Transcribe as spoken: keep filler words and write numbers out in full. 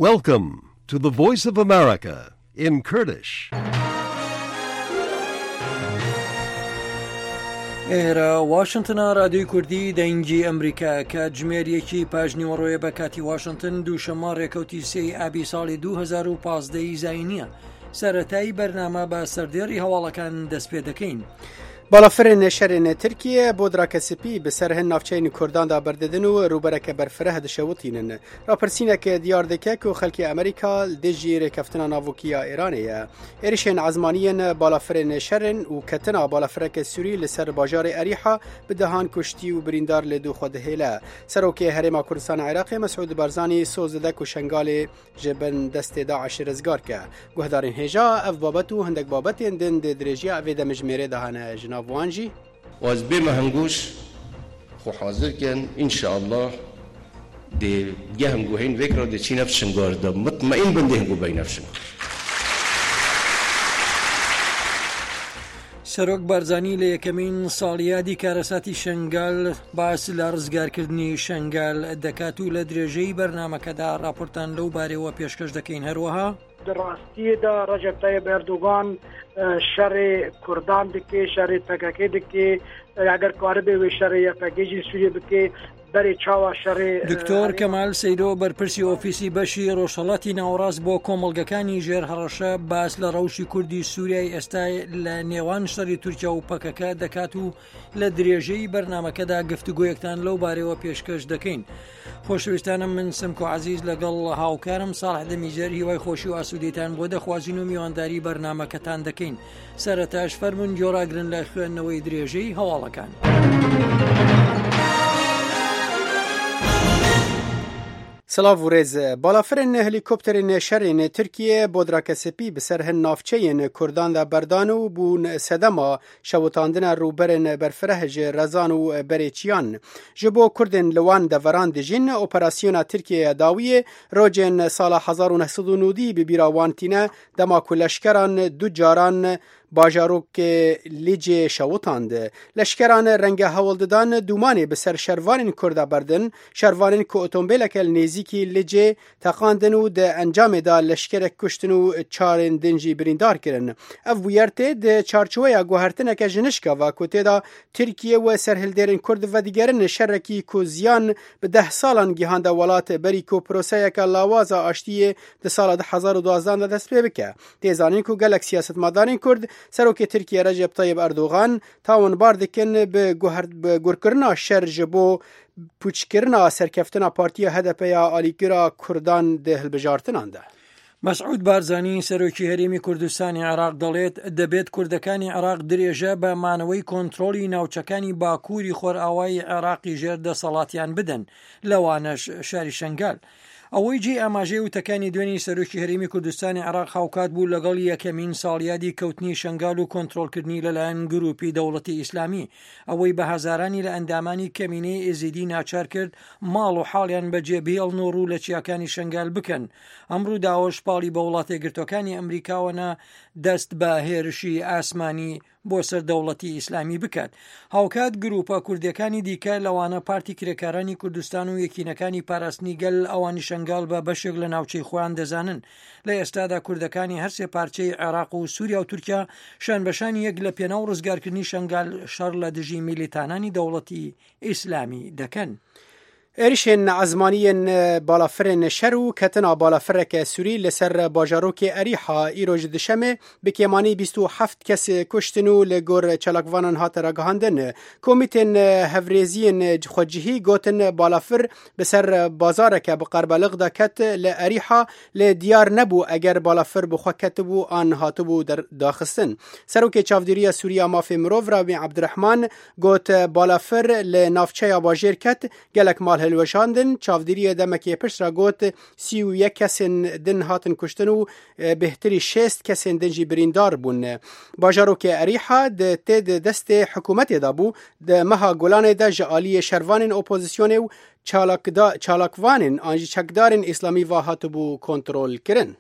Welcome to the Voice of America in Kurdish. ئێرە واشنتنە، رادیۆی کوردی دەنگی ئەمریکا. کاتژمێر یەکی پاژنیوەڕۆیە بە کاتی واشنتن، دووشەممە ڕێکەوتی سێی ئابی ساڵی دوو هەزار و پازدە ی زاینیە. سەرەتایی بەرنامە بە سەردێڕی هەواڵەکان دەست پێ دەکەین. بالافرên şerên Tirkiye bodrake spî bi ser hin navçeyên Kurdan da berdidin û rûbereke berfireh dişewitînin. Rapirsînek diyar dike ku xelkê Amerîka li dijî rêkeftina navokî ya Îranê ye. Êrişên ezmaniyên balafirên şerên û ketina balafireke Sûrî li ser bajarê Erîha bi dehan kuştî û birîndar li dû xwe dihêle. Serokê Herêma Kurdistana Iraqê Mesûd Barzanî soz dide ku Şengalê ji bin destê Daişê rizgar ke. Guhdarên hêja ev babet û hindek babetên din di dirêjiya vê demjimêrê de hene ji nav wan jî. واز بێمە هەنگوش خۆ حاضر کەن ئینشاءالله دێ گە هەنگو هەین وێکرا دەچی نەف شنگار دا مطمئن بن دێ هەنگو بەی نەف شنگار. سەرۆک بارزانی لە یەکەمین ساڵیادی کارەساتی شنگال باس لە ڕزگارکردنی شنگال دەکات و لە درێژەی بەرنامەکەدا راپۆرتان لەو بارەوە پێشکەش دەکەین. هەروەها ڕاستیدا ڕەجەب تەیب ئەردۆغان شەڕی کوردان دکێ، شەڕی پەکەکە دکێ، ئەگەر کاربێ وێ شەڕی یەپەگێژی سووریە بکێ بەرێ چاوە شەڕی. دکتۆر کەمال سەیدۆ بەرپرسی ئۆفیسی بەشی ڕۆژهەڵاتی ناوەڕاست بۆ کۆمەڵگەکانی ژێر هەڕەشە باس لە ڕەوشی کوردی سووریای ئێستا لە نێوان شەڕی تورکیا و پەکەکە دەکات و لە درێژەی بەرنامەکەدا گفتوگۆیەکتان لەو بارەوە پێشکەش دەکەین. خۆشەویستانم، من سمکۆ عەزیز لەگەڵ هاوکارم ساڵح دەمیجەر هیوای خۆشی و ئاسوودەیتان بۆ دەخوازین و میوانداری بەرنامەکەتان دەکەین. سەرەتاش فەرمونون گۆڕاگرن لە خوێندنەوەی درێژەی هەواڵەکان. سلاv û rêz. Balafirên helîkopterên şerên Tirkiye bodrake spî bi ser hin navçeyên Kurdan de berdan û bûn sedema şewitandina rûberên berfireh ji Rezan û berê çiyan. Ji bo Kurdên li wan deveran dijîn operasyona Tirkiyeya dawiyê rojên sala hezar û neh sed û nodî bi bîra wan tîne dema ku leşkeran du caran bajarokê Licê şewitand. Leşkeran renge hewl didan dûmanê bi ser şervanên Kurd de berdin, şervanên ku otomobîleke li nêzîkî Licê teqandin û di encamê de leşkerek kuştin û çarên din jî birîndar kirin. Ev bûyer tê di çarçoveya guhertineke ji nişka ve ku tê de Tirkiye û serhildêrên Kurd vedigerin şerekî ku ziyan bi deh salan gihande welat berî ku proseyeke lawaza aştiyê di sala du hezar û duwazdeh de dest pê bike. Tê zanîn ku gelek siyasetmedarên Kurd Serokê Tirkiye Recep Tayyip Erdogan tawanbar dikin bi gurkirina şer ji bo pûçkirina serkeftina Partiya H D P ya alîkira Kurdan di hilbijartinan de. مەسعود بارزانی سەرۆکی هەرێمی کوردستانی عێراق دەڵێت دەبێت کوردەکانی عێراق درێژە بە مانەوەی کۆنترۆڵی ناوچەکانی باکووری خۆرئاوای عێراقی ژێر دەسەڵاتیان بدەن، لەوانەش شاری شنگال. ئەوەی جێ ئاماژەی وتەکانی دوێنی سەرۆکی هەرێمی کوردستانی عێراق هاوکات بوو لەگەڵ یەکەمین ساڵیادی کەوتنی شنگال و کۆنترۆڵکردنی لەلایەن گروپی دەوڵەتی ئیسلامی، ئەوەی بە هەزارانی لە ئەندامانی کەمینەی ئێزیدی ناچار کرد ماڵ و حاڵیان بەجێ بهێڵن و ڕوو لە چیاکانی شنگال بکەن. ئەم ڕووداوەش پاڵی بە وڵاتە یەکگرتووەکانی ئەمریکاوە نا دەست بە هێرشی ئاسمانی بۆ سەر دەوڵەتی ئیسلامی بکات. هاوکات گروپە کوردیەکانی دیکە لەوانە پارتی کرێکارانی کوردستان و یەکینەکانی پاراستنی گەل ئەوانی شنگال بە بەشێک لە ناوچەی خۆیان دەزانن. لە ئێستادا کوردەکانی هەرسێ پارچەی عێراق و سووریا و تورکیا شانبەشانی یەک لە پێناو ڕزگارکردنی شنگال شەڕ لە دژی میلیتانانی دەوڵەتی ئیسلامی دەکەن. êrişên ezmaniyên balafirên şer û ketina balafireke Sûrî li ser bajarokê Erîha îro ji duşemê bi kêmanî bîst û heft kes kuştin û li gor çalakvanan hate ragihandin. Komîtên hevrêziyên xwecihî gotin balafir bi ser bazareke bi qerbeliq de ket li Erîha lê diyar nebû eger balafir bi xwe ketibû an hatibû daxistin. Serokê Çavdêriya Sûriya Mafê Mirov Rabî Ebdurehman got balafir li navçeya bajêr ket gelek mal hilweşandin. Çavdêriya demekê pişt re got sî û yek kesên din hatin kuştin û bêhtirî şêst kesên din jî birîndar bûn. Bajarokê Erîha di tê di destê hikûmetê de bû di meha Golanê de ji aliyê şervanên opozisyonê û çalakvanên an jî çekdarên Îslamî ve hatibû kontrolkirin.